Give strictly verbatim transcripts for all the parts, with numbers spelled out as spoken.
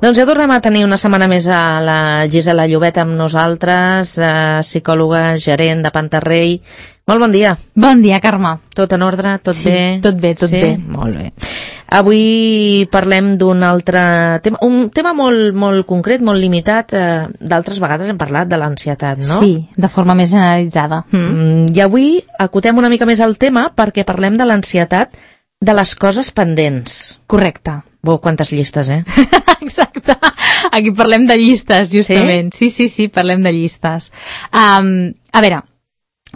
Doncs ja tornem a tenir una setmana més a la Gisela Llobet amb nosaltres, eh, psicòloga, gerent de Pantarrey. Molt bon dia. Bon dia, Carme. Tot en ordre? Tot sí, bé? Tot bé, tot sí? bé. Molt bé. Avui parlem d'un altre tema, un tema molt, molt concret, molt limitat. Eh, d'altres vegades hem parlat de l'ansietat, no? Sí, de forma més generalitzada. Mm. I avui acotem una mica més el tema perquè parlem de l'ansietat de les coses pendents. Correcte. Wow, quantes llistes, eh? Exacte. Aquí parlem de llistes, justament. Sí, sí, sí, sí parlem de llistes. Um, a veure,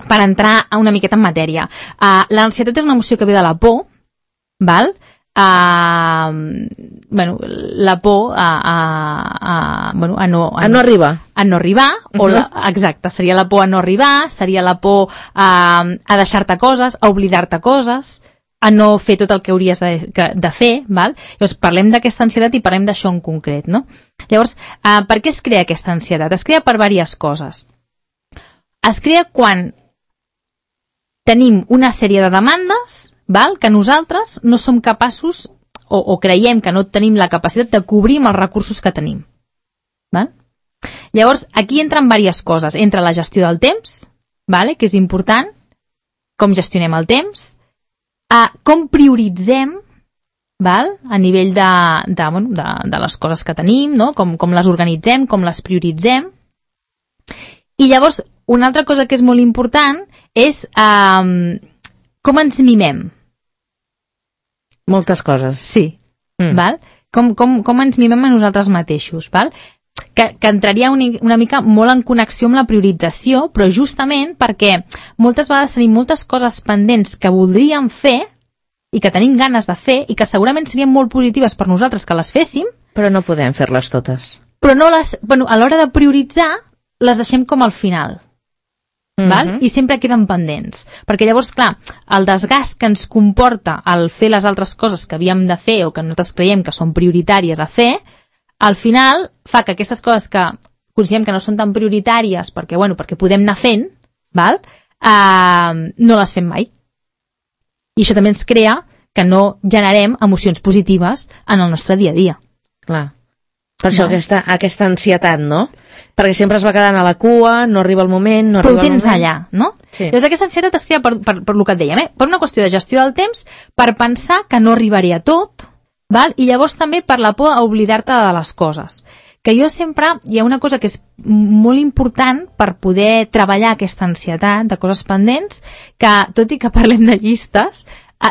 per entrar una miqueta en matèria. Uh, l'ansietat és una emoció que ve de la por, val? Uh, bueno, la por a, a, a, bueno, a, no, a, a no arribar. A no arribar, o uh-huh. la, exacte, seria la por a no arribar, seria la por a, a deixar-te coses, a oblidar-te coses, a no fer tot el que hauries de, de fer, val? Llavors parlem d'aquesta ansietat i parlem d'això en concret, no? Llavors, uh, per què es crea aquesta ansietat? Es crea per diverses coses. Es crea quan tenim una sèrie de demandes, val? Que nosaltres no som capaços o, o creiem que no tenim la capacitat de cobrir amb els recursos que tenim. Val? Llavors, aquí entren diverses coses. Entra la gestió del temps, vale? Que és important, com gestionem el temps, a com prioritzem, val? A nivell de, de, bueno, de, de les coses que tenim, no? com, com les organitzem, com les prioritzem. I llavors, una altra cosa que és molt important és um, com ens mimem. Moltes coses. Sí. Mm. Val? Com, com, com ens mimem a nosaltres mateixos. Val? Que, que entraria una, una mica molt en connexió amb la priorització, però justament perquè moltes vegades tenim moltes coses pendents que voldríem fer i que tenim ganes de fer i que segurament serien molt positives per nosaltres que les féssim, però no podem fer-les totes. Però no les, bueno, a l'hora de prioritzar les deixem com al final. Mm-hmm. Val? I sempre queden pendents. Perquè llavors, clar, el desgast que ens comporta el fer les altres coses que havíem de fer o que nosaltres creiem que són prioritàries a fer, al final fa que aquestes coses que considerem que no són tan prioritàries perquè, bueno, perquè podem anar fent, val? Uh, no les fem mai. I això també ens crea que no generem emocions positives en el nostre dia a dia. Clar. Per això aquesta, aquesta ansietat, no? Perquè sempre es va quedant a la cua, no arriba el moment, no Però arriba el moment. Però ho tens allà, no? Sí. Llavors aquesta ansietat es crea per, per, per el que et dèiem, eh? Per una qüestió de gestió del temps, per pensar que no arribaré a tot, val? I llavors també per la por a oblidar-te de les coses. Que jo sempre, hi ha una cosa que és molt important per poder treballar aquesta ansietat de coses pendents, que tot i que parlem de llistes,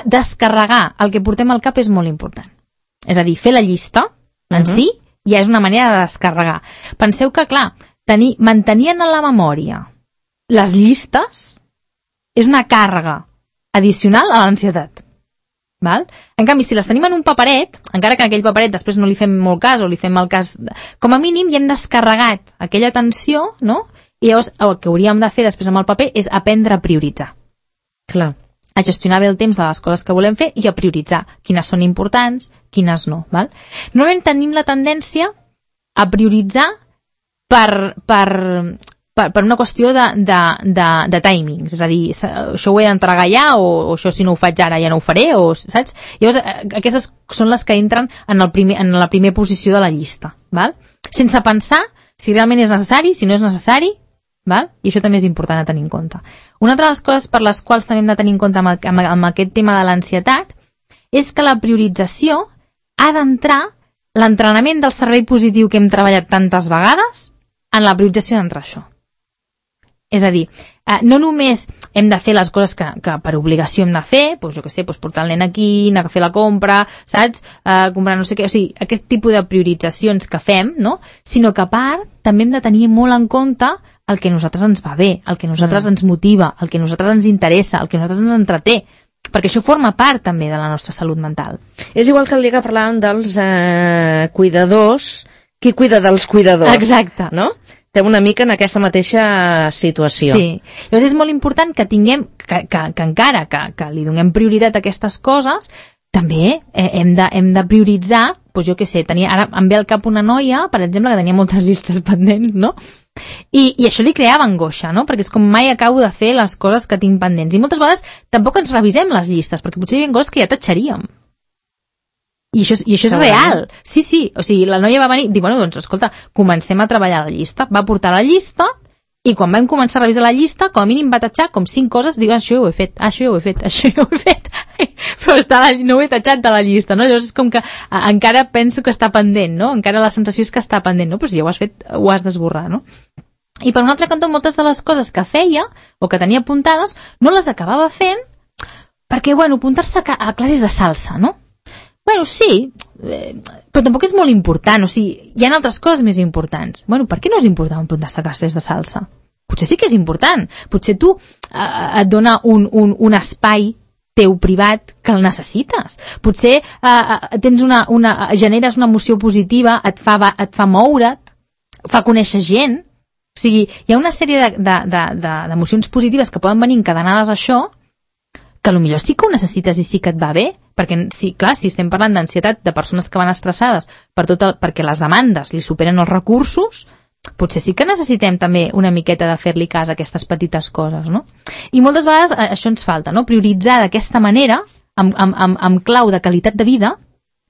descarregar el que portem al cap és molt important. És a dir, fer la llista en uh-huh. sí ja és una manera de descarregar. Penseu que, clar, tenir, mantenir en la memòria les llistes és una càrrega addicional a l'ansietat. Val? En canvi, si les tenim en un paperet, encara que en aquell paperet després no li fem molt cas o li fem el cas, com a mínim ja hem descarregat aquella tensió, no? I llavors el que hauríem de fer després amb el paper és aprendre a prioritzar. Clar. A gestionar bé el temps de les coses que volem fer i a prioritzar quines són importants, quines no. Val? Normalment tenim la tendència a prioritzar per, per, per, per una qüestió de, de, de, de timings, és a dir, això ho he d'entregar ja o, o això si no ho faig ara ja no ho faré, o, saps? Llavors, aquestes són les que entren en, el primer, en la primera posició de la llista, val? Sense pensar si realment és necessari, si no és necessari, val? I això també és important a tenir en compte. Una altra de les coses per les quals també hem de tenir en compte amb, amb, amb aquest tema de l'ansietat és que la priorització ha d'entrar l'entrenament del servei positiu que hem treballat tantes vegades en la priorització d'entrar això. És a dir, eh, no només hem de fer les coses que, que per obligació hem de fer, doncs jo què sé, doncs portar el nen aquí, anar a fer la compra, saps? Eh, comprar no sé què, o sigui, aquest tipus de prioritzacions que fem, no? Sinó que a part també hem de tenir molt en compte el que a nosaltres ens va bé, el que a nosaltres mm. ens motiva, el que a nosaltres ens interessa, el que a nosaltres ens entreté, perquè això forma part també de la nostra salut mental. És igual que el dia que parlàvem dels eh, cuidadors, qui cuida dels cuidadors. Exacte. No? Estem una mica en aquesta mateixa situació. Sí. Llavors és molt important que tinguem, que, que, que encara que, que li donem prioritat a aquestes coses, també eh, hem, de, hem de prioritzar, doncs jo què sé, tenia, ara em ve al cap una noia, per exemple, que tenia moltes llistes pendents, no? I, i això li creava angoixa, no? Perquè és com mai acabo de fer les coses que tinc pendents. I moltes vegades tampoc ens revisem les llistes, perquè potser hi ha coses que ja tatxaríem. I això, i això és real. Sí, sí, o sigui, la noia va venir i dir, bueno, doncs, escolta, comencem a treballar la llista. Va portar la llista i quan vam començar a revisar la llista, com a mínim va tatxar com cinc coses, diu, això ja ho he fet, això ja ho he fet, això ja ho he fet. Però està la, no ho he tatxat de la llista, no? Llavors és com que a, encara penso que està pendent, no? Encara la sensació és que està pendent, no? Però si ja ho has fet, ho has d'esborrar, no? I per un altre cantó, moltes de les coses que feia, o que tenia apuntades, no les acabava fent perquè, bueno, apuntar-se a, a classes de salsa, no? Bueno, sí, eh, però tampoc és molt important, o sigui, hi ha altres coses més importants. Bueno, per què no és important apuntar-se a classes de salsa? Potser sí que és important. Potser tu eh, et dona un, un, un espai teu privat que el necessites. Potser eh, tens una, una, generes una emoció positiva, et fa, et fa moure't, fa conèixer gent. O sigui, hi ha una sèrie de, de, de, de, d'emocions positives que poden venir encadenades a això, que potser sí que ho necessites i sí que et va bé, perquè, sí, clar, si estem parlant d'ansietat de persones que van estressades per tot el, perquè les demandes li superen els recursos, potser sí que necessitem també una miqueta de fer-li cas a aquestes petites coses, no? I moltes vegades això ens falta, no? Prioritzar d'aquesta manera, amb, amb, amb, amb clau de qualitat de vida,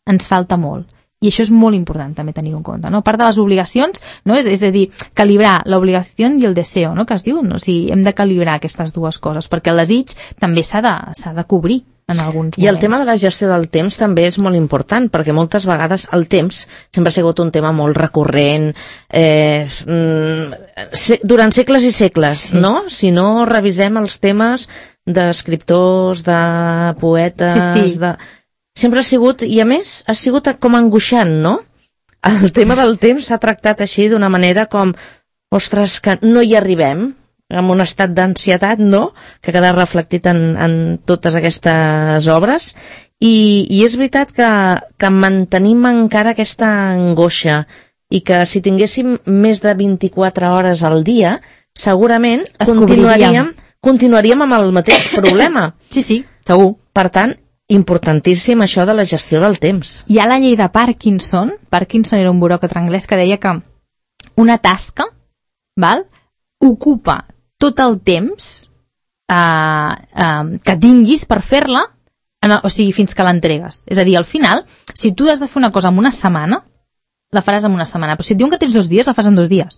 ens falta molt. I això és molt important també tenir-ho en compte, no? A part de les obligacions, no? és, és a dir, calibrar l'obligació i el deseo, no? Que es diu, no? O sigui, hem de calibrar aquestes dues coses, perquè el desig també s'ha de, s'ha de cobrir en alguns moments. I el tema de la gestió del temps també és molt important, perquè moltes vegades el temps sempre ha sigut un tema molt recurrent, eh, se, durant segles i segles, sí. No? Si no revisem els temes d'escriptors, de poetes, sí, sí. de... sempre ha sigut, i a més ha sigut com angoixant, no? El tema del temps s'ha tractat així d'una manera com, ostres, que no hi arribem, amb un estat d'ansietat, no?, que queda reflectit en, en totes aquestes obres, i, i és veritat que, que mantenim encara aquesta angoixa, i que si tinguéssim més de vint-i-quatre hores al dia, segurament continuaríem, continuaríem amb el mateix problema. Sí, sí, segur. Per tant, importantíssim això de la gestió del temps. Hi ha la llei de Parkinson. Parkinson era un buròcrata anglès que deia que una tasca, val, ocupa tot el temps eh, eh, que tinguis per fer-la, en el, o sigui, fins que l'entregues. És a dir, al final, si tu has de fer una cosa en una setmana, la faràs en una setmana, però si et diuen que tens dos dies, la fas en dos dies.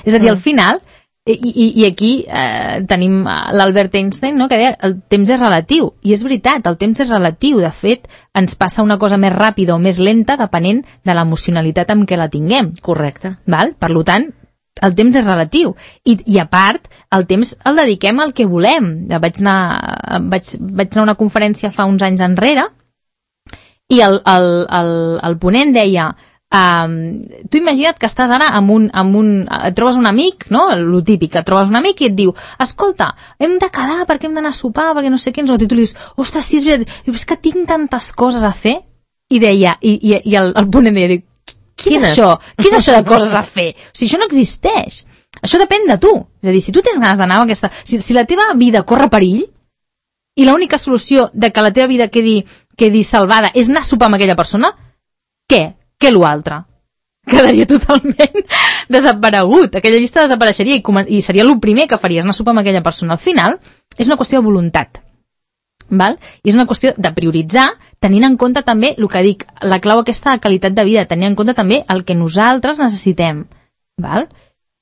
És a dir, al final, i, i, i aquí eh, tenim l'Albert Einstein, no?, que deia el temps és relatiu, i és veritat, el temps és relatiu. De fet, ens passa una cosa més ràpida o més lenta depenent de l'emocionalitat amb què la tinguem. Correcte. Val? Per tant, el temps és relatiu. I, i a part, el temps el dediquem al que volem. Vaig anar, vaig, vaig anar a una conferència fa uns anys enrere i el, el, el, el ponent deia Um, tu imagina't que estàs ara amb un, amb un, et trobes un amic, no? Lo típic, et trobes un amic i et diu, escolta, hem de quedar perquè hem d'anar a sopar, perquè no sé què, i tu li dius, ostres, sí, és veritat, dius, és que tinc tantes coses a fer, i deia, i, i, i el, el ponent deia, què és això? Què és això de coses a fer? O sigui, això no existeix. Això depèn de tu. És a dir, si tu tens ganes d'anar a aquesta... Si, si la teva vida corre perill, i l'única solució de que la teva vida quedi, quedi salvada és anar a sopar amb aquella persona, què? Què l'altre? Quedaria totalment desaparegut. Aquella llista desapareixeria i, i seria el primer que faries, anar a sopar amb aquella persona. Al final, és una qüestió de voluntat. Val? I és una qüestió de prioritzar, tenint en compte també el que dic, la clau aquesta de qualitat de vida, tenint en compte també el que nosaltres necessitem. Val?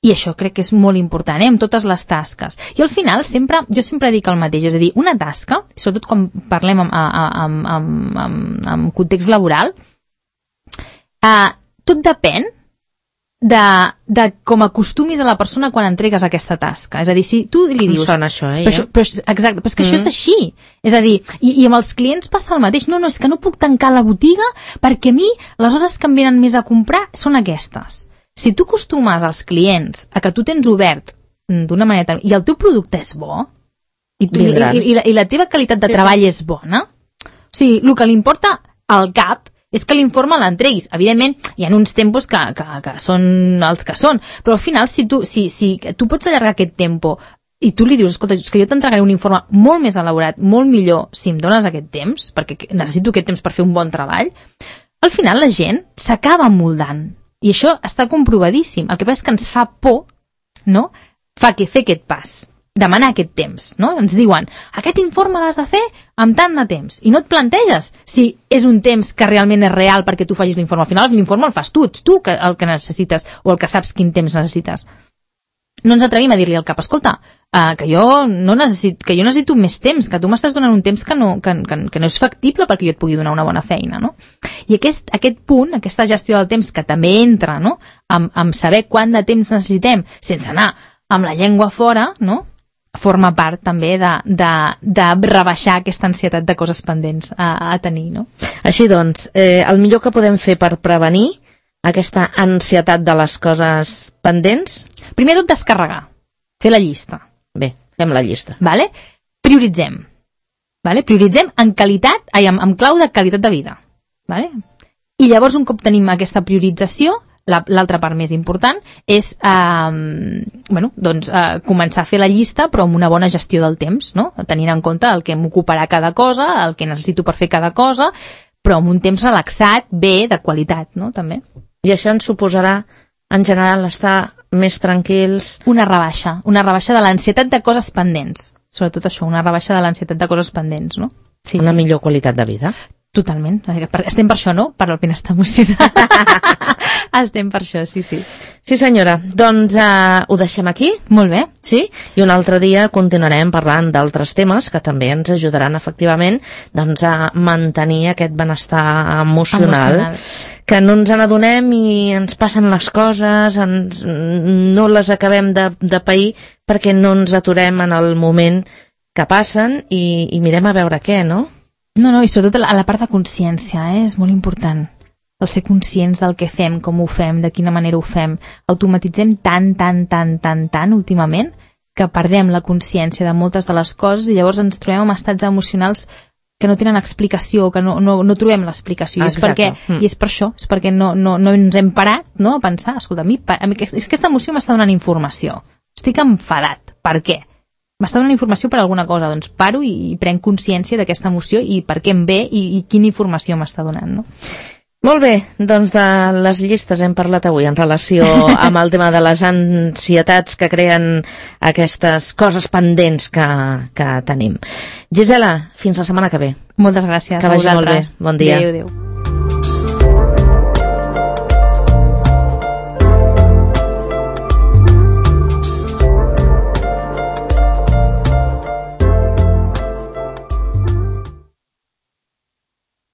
I això crec que és molt important, eh? Amb totes les tasques. I al final, sempre, jo sempre dic el mateix, és a dir, una tasca, sobretot quan parlem en, en, en, en, en context laboral, Uh, tot depèn de, de com acostumis a la persona quan entregues aquesta tasca. És a dir, si tu li dius... Em sona això, eh? Però, això, però, exacte, però és que mm. això és així. És a dir, i, i amb els clients passa el mateix. No, no, és que no puc tancar la botiga perquè a mi les hores que em venen més a comprar són aquestes. Si tu acostumes als clients a que tu tens obert d'una manera... i el teu producte és bo, i, tu, i, i, i, la, i la teva qualitat de sí, treball sí. és bona, o sigui, el que li importa al cap és que l'informe l'entreguis. Evidentment, hi ha uns tempos que, que, que són els que són, però al final, si tu, si, si tu pots allargar aquest tempo i tu li dius, escolta, és que jo t'entregaré un informe molt més elaborat, molt millor, si em dones aquest temps, perquè necessito aquest temps per fer un bon treball, al final la gent s'acaba moldant. I això està comprovadíssim. El que passa és que ens fa por, no?, fa que fer aquest pas. demanar aquest temps, no? Ens diuen, aquest informe l'has de fer amb tant de temps, i no et planteges si és un temps que realment és real perquè tu facis l'informe. Al final l'informe el fas tu, ets tu el que necessites o el que saps quin temps necessites. No ens atrevim a dir-li al cap, escolta, uh, que, jo no necessit, que jo necessito més temps, que tu m'estàs donant un temps que no, que, que, que no és factible perquè jo et pugui donar una bona feina, no? I aquest, aquest punt, aquesta gestió del temps que també entra, no?, amb, amb saber quant de temps necessitem sense anar amb la llengua fora, no?, forma part també de, de, de rebaixar aquesta ansietat de coses pendents a, a tenir, no? Així doncs, eh, el millor que podem fer per prevenir aquesta ansietat de les coses pendents? Primer tot, descarregar, fer la llista. Bé, fem la llista. Vale? Prioritzem. Vale? Prioritzem en qualitat, ai, en, en clau de qualitat de vida. Vale? I llavors, un cop tenim aquesta priorització, l'altra part més important és eh, bueno, doncs, eh, començar a fer la llista però amb una bona gestió del temps, no? Tenint en compte el que m'ocuparà cada cosa, el que necessito per fer cada cosa, però amb un temps relaxat, bé, de qualitat, no? També. I això ens suposarà, en general, estar més tranquils? Una rebaixa, una rebaixa de l'ansietat de coses pendents, sobretot això, una rebaixa de l'ansietat de coses pendents, no? Sí, una sí. millor qualitat de vida? Totalment. Estem per això, no? Per al benestar emocional. Estem per això, sí, sí. Sí, senyora. Doncs uh, ho deixem aquí. Molt bé. Sí? I un altre dia continuarem parlant d'altres temes que també ens ajudaran, efectivament, doncs, a mantenir aquest benestar emocional. emocional. Que no ens n'adonem i ens passen les coses, ens, no les acabem de, de pair perquè no ens aturem en el moment que passen i, i mirem a veure què, no? No, no, i sobretot a la part de consciència, eh? És molt important. El ser conscients del que fem, com ho fem, de quina manera ho fem. Automatitzem tant, tant, tant, tant, tant últimament que perdem la consciència de moltes de les coses i llavors ens trobem en estats emocionals que no tenen explicació, que no, no, no trobem l'explicació. I és, perquè, mm. I és per això, és perquè no, no, no ens hem parat, no?, a pensar, escolta, a mi, a mi és que aquesta emoció m'està donant informació. Estic enfadat. Per què? M'està donant informació per alguna cosa, doncs paro i, i prenc consciència d'aquesta emoció i per què em ve i, i quina informació m'està donant, no? Molt bé, doncs de les llistes hem parlat avui en relació amb el tema de les ansietats que creen aquestes coses pendents que, que tenim. Gisela, fins la setmana que ve. Moltes gràcies. Que vagi molt bé. Bon dia. Adéu, adéu.